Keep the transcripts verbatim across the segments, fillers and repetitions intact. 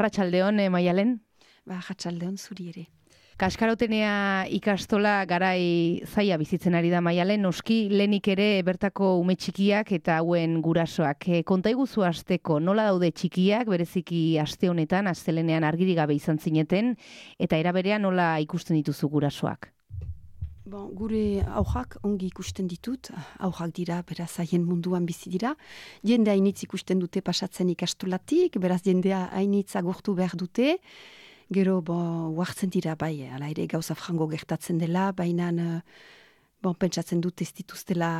Arratsaldeon, eh, Maialen? Ba, arratsaldeon zuri ere. Kaskarotenea ikastola garai zaila bizitzen ari da, Maialen, noski lehenik ere bertako ume txikiak eta hauen gurasoak. E, konta iguzu hasteko, nola daude txikiak, bereziki aste honetan, astelenean argirik gabe izan zineten, eta era berean nola ikusten dituzu gurasoak? Bon, gure aurrak ongi ikusten ditut, aurrak dira, beraz haien munduan bizi dira. Jende hainitz ikusten dute pasatzen ikastolatik, beraz jendea hainitz agurtu behar dute. Gero, bon, huartzen dira, bai, ala ere gauza frango gertatzen dela, baina, bon, pentsatzen dut ez dituztela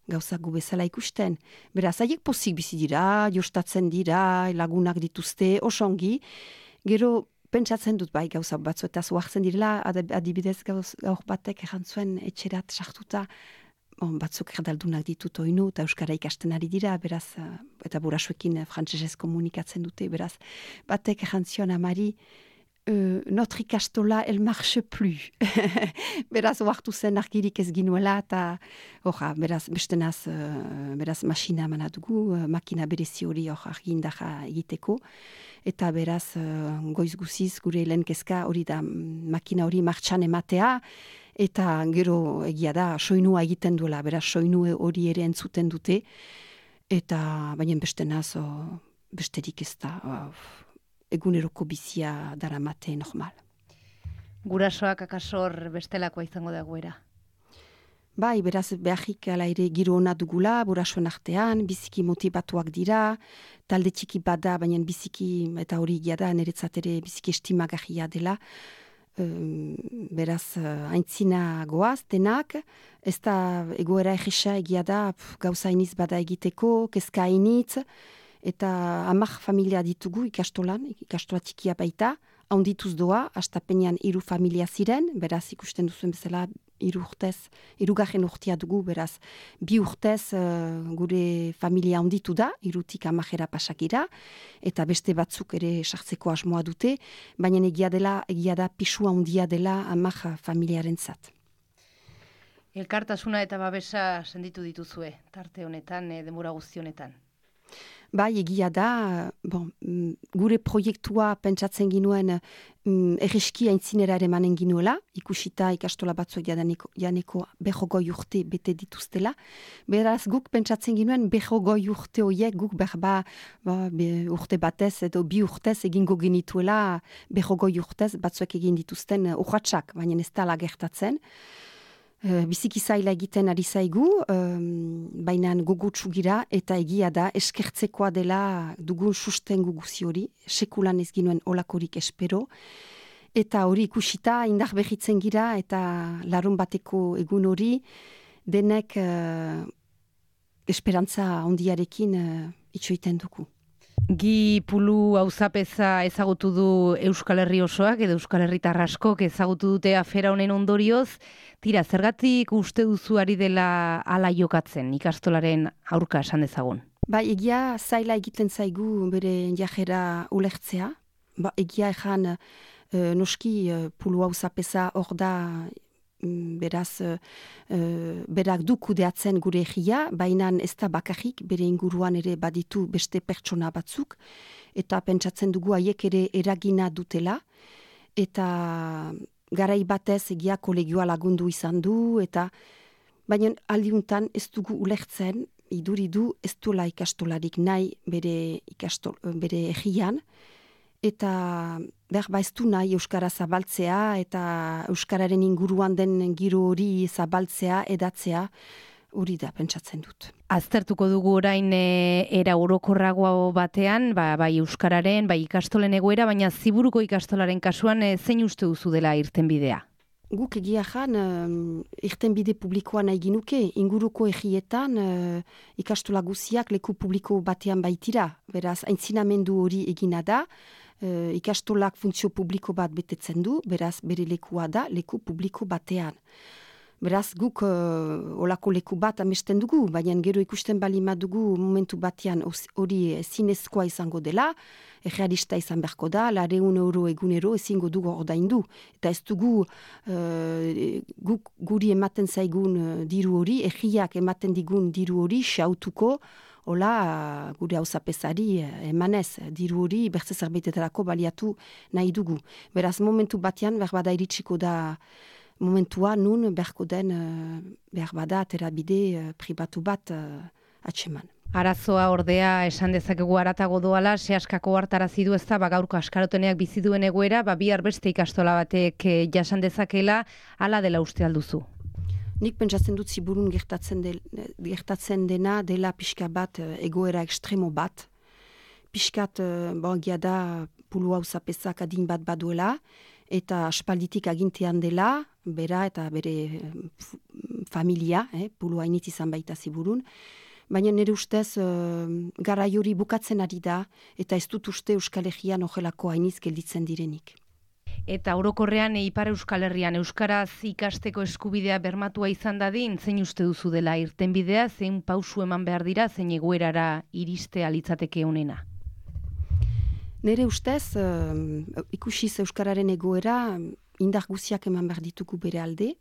gauza gu bezala ikusten. Beraz, haiek pozik bizi dira, jostatzen dira, lagunak dituzte, osongi. Gero, pentsatzen dut bai gauza batzu eta huartzen direla, adibidez gauz, gaur batek erantzuen etxerat sartuta, bon, batzuk erdaldunak ditut oinu, eta euskara ikasten ari dira, beraz, eta burasuekin frantsesez komunikatzen dute, beraz, batek erantzion amari, Uh, notre ikastola, el marche plus. Beraz, oartu zen argirik ez ginuela, eta orra, beraz, bestenaz, uh, beraz, masina eman dugu, uh, makina berezi hori hor argindaja egiteko, eta beraz, uh, goiz guziz, gure lehen kezka hori da, makina hori martxan ematea, eta gero egia da, soinua egiten duela, beraz, soinue hori ere entzuten dute, eta baina bestenaz, oh, besterik ez da, oh, eguneroko bizia daramate normal. Gurasoak akasor bestelakoa izango da goera? Bai, beraz beharrik ala ere giro ona dugula, gurasoen artean, biziki motibatuak dira, talde txiki bada, baina biziki, eta hori egia da, niretzat ere biziki estimagahia dela, um, beraz aintzina goaz, denak, ez da egoera egisa egia da, pf, gauza iniz bada egiteko, kezka initz, eta amak familia ditugu ikastolan, ikastola txikia baita, haundituz doa, astapenean hiru familia ziren, beraz ikusten duzuen bezala hiru urtez, hirugarren urtea dugu, beraz bi urtez uh, gure familia haunditu da, hirutik amajera pasakira, eta beste batzuk ere sartzeko asmoa dute, baina egia dela, egia da pisua handia dela amak familiaren zat. Elkartasuna eta babesa senditu dituzue, tarte honetan, e, denbora guzti honetan. Bai, egia da, bon, gure proiektua pentsatzen ginuen um, erreski aintzinera ere manen ginuela, ikusita ikastola batzuek janeko, janeko behogoi urte bete dituztela. Beraz, guk pentsatzen ginuen behogoi urte horiek guk berba ba, be, urte batez edo bi urtez egingo genituela behogoi urtez batzuek egin dituzten urratsak, baina ez da gertatzen. Uh, biziki zaila egiten ari zaigu, um, baina gogotsu gira eta egia da eskertzekoa dela dugun sustengu guzi hori, sekulan ez ginuen olakorik espero, eta hori ikusita indar berritzen gira eta larun bateko egun hori denek uh, esperantza ondiarekin uh, itxoiten dugu. Gi Pulu auzapeza ezagutu du Euskal Herri osoak edo Euskal Herritar askok ezagutu dute afera honen ondorioz. Tira, zergatik uste duzu ari dela ala jokatzen ikastolaren aurka esan dezagun? Ba, egia zaila egiten zaigu bere jajera ulertzea. Ba, egia ejan uh, noski uh, Pulu auzapeza hor da beraz, uh, berak du kudeatzen gure egia, baina ez da bakarrik, bere inguruan ere baditu beste pertsona batzuk, eta pentsatzen dugu haiek ere eragina dutela, eta garai batez egia kolegioa lagundu izan du, eta baina aldiuntan ez dugu ulertzen, iduridu ez duela ikastolarik nahi bere, ikastol, bere egian, eta behar ba ez du nahi Euskara zabaltzea eta Euskararen inguruan den giro hori zabaltzea, edatzea, hori da pentsatzen dut. Aztertuko dugu orain e, era orokorragoa batean, ba, bai Euskararen, bai ikastolen egoera, baina Ziburuko ikastolaren kasuan e, zein uste duzu dela irtenbidea? Guk egia jan, um, irtenbide publikoa nahi ginuke, inguruko egietan uh, ikastola guziak leku publiko batean baitira. Beraz, aintzinamendu hori egina da, uh, ikastolak funtzio publiko bat betetzen du, beraz, bere lekua da, leku publiko batean. Beraz, guk uh, olako leku bat amesten dugu, baina gero ikusten balima dugu momentu batean hori zinezkoa izango dela, realista izan beharko da, lareun euro egunero ezingo dugu ordaindu. Eta ez dugu uh, guk guri ematen zaigun uh, diru hori, egiak ematen digun diru hori xautuko Hola, gure hauzapezari emanez, diru hori bertze zerbaitetarako baliatu nahi dugu. Beraz, momentu batean, behar bada iritsiko da momentua, nun beharko den, behar bada, aterabide pribatu bat atseman. Arazoa ordea esan dezakegu haratago doala, sehaskako hartarazi du ezta, ba gaurko askaroteneak bizi duen egoera, ba bihar beste ikastola batek eh, jasan dezakela, hala dela uste alduzu. Nik pentsatzen dut ziburun gertatzen, de, gertatzen dena dela pixka bat egoera ekstremo bat. Piskat, bogia da, pulu hau zapezak adin bat baduela, eta aspalditik agintean dela, bera eta bere familia, eh, pulu hainitz izan baita ziburun. Baina nire ustez, uh, garai hori bukatzen ari da, eta ez dut uste Euskal Herrian ojelako hainiz gelditzen direnik. Eta orokorrean Ipar Euskal Herrian euskaraz ikasteko eskubidea bermatua izan dadin, zein uste duzu dela irtenbidea, zein pausu eman behar dira, zein egoerara iristea litzateke honena? Nire ustez, uh, ikusiz euskararen egoera, indar guziak eman behar ditugu bere alde,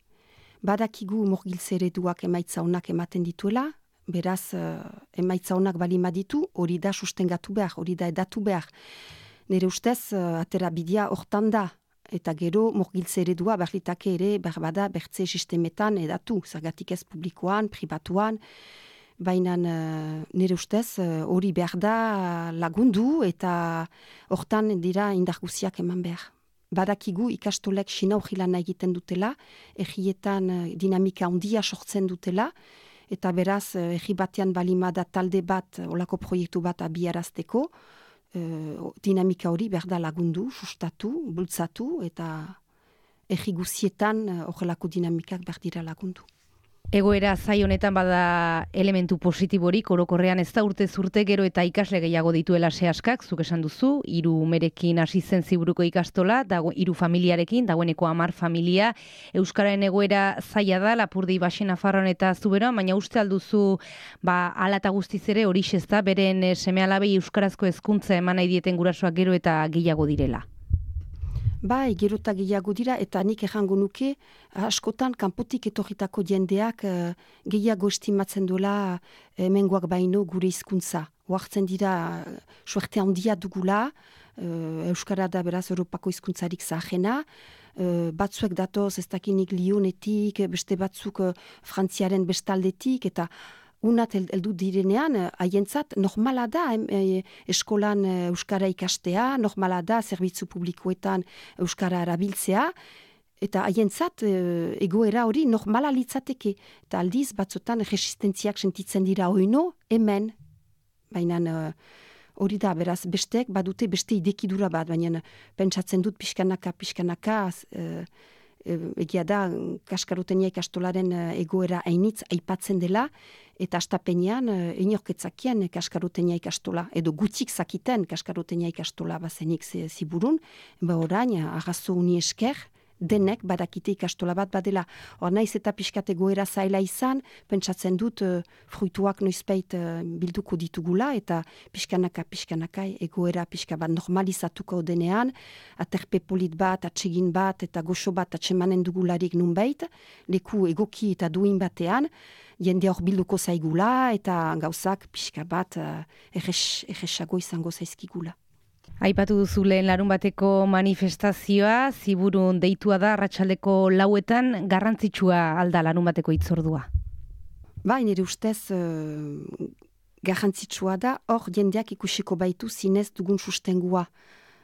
badakigu morgiltze ereduak emaitza onak ematen dituela, beraz, uh, emaitza honak balima ditu, hori da sustengatu behar, hori da edatu behar. Nire ustez, uh, atera bidea hortan da, eta gero morgiltze eredua berlitake ere berbada bertze sistemetan edatu, zergatik ez publikoan, pribatuan, baina uh, nire ustez hori uh, behar da lagundu eta hortan dira indarguziak eman behar. Badakigu ikastolek sinau jilana egiten dutela, egietan uh, dinamika handia sortzen dutela, eta beraz, egi batean balimada talde bat, olako proiektu bat abiarazteko, uh, dinamika hori behar da lagundu, sustatu, bultzatu, eta egi guzietan horrelako uh, dinamikak behar dira lagundu. Egoera zai honetan bada elementu positiborik, orokorrean ez da urte zurte gero eta ikasle gehiago dituela sehaskak, zuk esan duzu, hiru umerekin hasi zen ziburuko ikastola, dago hiru familiarekin, dagoeneko hamar familia, euskararen egoera zaila da, Lapurdi, Baxi, Nafarroan eta Zuberoan, baina uste alduzu, ba, hala eta guztiz ere hori ez da, beren seme-alabei euskarazko hezkuntza eman nahi dieten gurasoak gero eta gehiago direla. Bai, gero eta gehiago dira, eta nik errango nuke, askotan kanpotik etorritako jendeak uh, gehiago estimatzen duela hemengoak baino gure hizkuntza. Oartzen dira, uh, suerte handia dugula, uh, Euskara da beraz Europako hizkuntzarik zahena, uh, batzuek datoz ez dakinik Lyonetik, beste batzuk uh, Frantziaren bestaldetik, eta unat heldu direnean, haientzat normala da e, eskolan euskara ikastea, normala da zerbitzu publikoetan euskara erabiltzea, eta haientzat e, egoera hori normala litzateke. Eta aldiz, batzotan resistentziak sentitzen dira oino, hemen. Baina hori da, beraz, besteek badute beste idekidura bat, baina pentsatzen dut pixkanaka, pixkanaka, e, egia da, kaskarotenia ikastolaren egoera hainitz aipatzen dela, eta astapenean inorketzakian kaskarotenia ikastola, edo gutxik zakiten kaskarotenia ikastola bazenik ziburun, ba orain, arrazo uni esker, denek badakite ikastola bat badela. Hor naiz eta pixkat egoera zaila izan, pentsatzen dut uh, fruituak noizbait uh, bilduko ditugula, eta pixkanaka, pixkanaka egoera pixka bat normalizatuko denean, aterpe polit bat, atsegin bat, eta goxo bat atsemanen dugularik nunbait, leku egoki eta duin batean, jende hor bilduko zaigula, eta gauzak pixka bat uh, erresago izango zaizkigula. Aipatu duzu lehen larun bateko manifestazioa, ziburun deitua da arratsaldeko lauetan, garrantzitsua alda larun bateko hitzordua? Ba, nire ustez uh, garrantzitsua da, hor jendeak ikusiko baitu zinez dugun sustengua.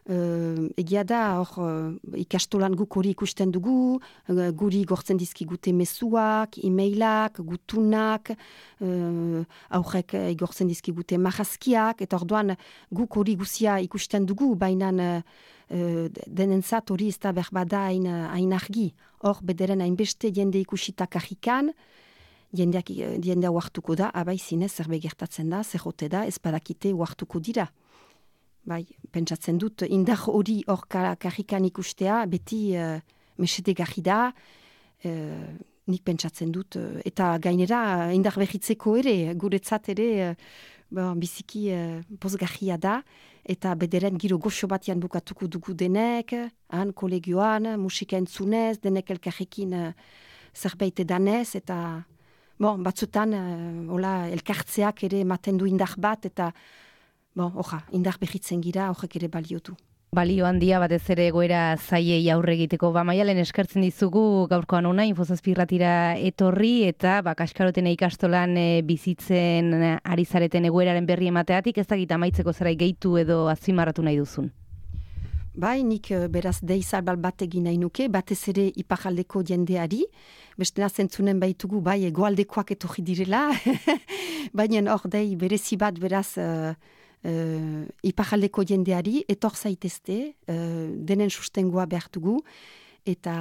Uh, egia da, hor uh, ikastolan guk hori ikusten dugu, uh, guri gortzen dizkigute mezuak, e-mailak, gutunak, uh, aurrek igortzen dizkigute marrazkiak, eta orduan guk hori guzia ikusten dugu, baina uh, denentzat hori ez da berbada hain, hain argi. Hor bederen hainbeste jende ikusita kajikan, jendeak jendea uartuko da, abai zinez zerbait gertatzen da, zerrote da, ez badakite uartuko dira. Bai, pentsatzen dut, indar hori hor karrikan ikustea, beti uh, mesedegarri da, uh, nik pentsatzen dut, uh, eta gainera indar behitzeko ere, guretzat ere, uh, bon, biziki uh, pozgarria da, eta bederen giro goxo batian bukatuko dugu denek, han kolegioan, musika entzunez, denek elkarrekin uh, zerbait edanez, eta bon, batzutan, uh, hola, elkartzeak ere ematen du indar bat, eta bon, oja, indar behitzen gira, horrek ere baliotu. Balio handia batez ere egoera zaiei aurre egiteko. Ba, Maialen eskertzen dizugu gaurkoan ona, Infozazpi irratira etorri, eta ba, Kaskaroten ikastolan e, bizitzen ari zareten egoeraren berri emateatik, ez dakit amaitzeko zerai gehitu edo azpimarratu nahi duzun. Bai, nik beraz deizarbal bat egin nahi nuke, batez ere ipajaldeko jendeari, bestena zentzunen baitugu, bai, egoaldekoak etorri direla, baina hor dei berezi bat beraz... Uh, Uh, ipajaldeko jendeari, etor zaitezte, uh, denen sustengoa behar dugu, eta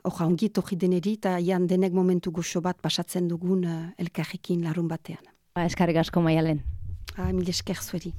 orra ongi etorri deneri, eta ian denek momentu goxo bat pasatzen dugun uh, elkarrekin larun batean. Ba, eskarrik asko Maialen. Ah, mil esker zueri.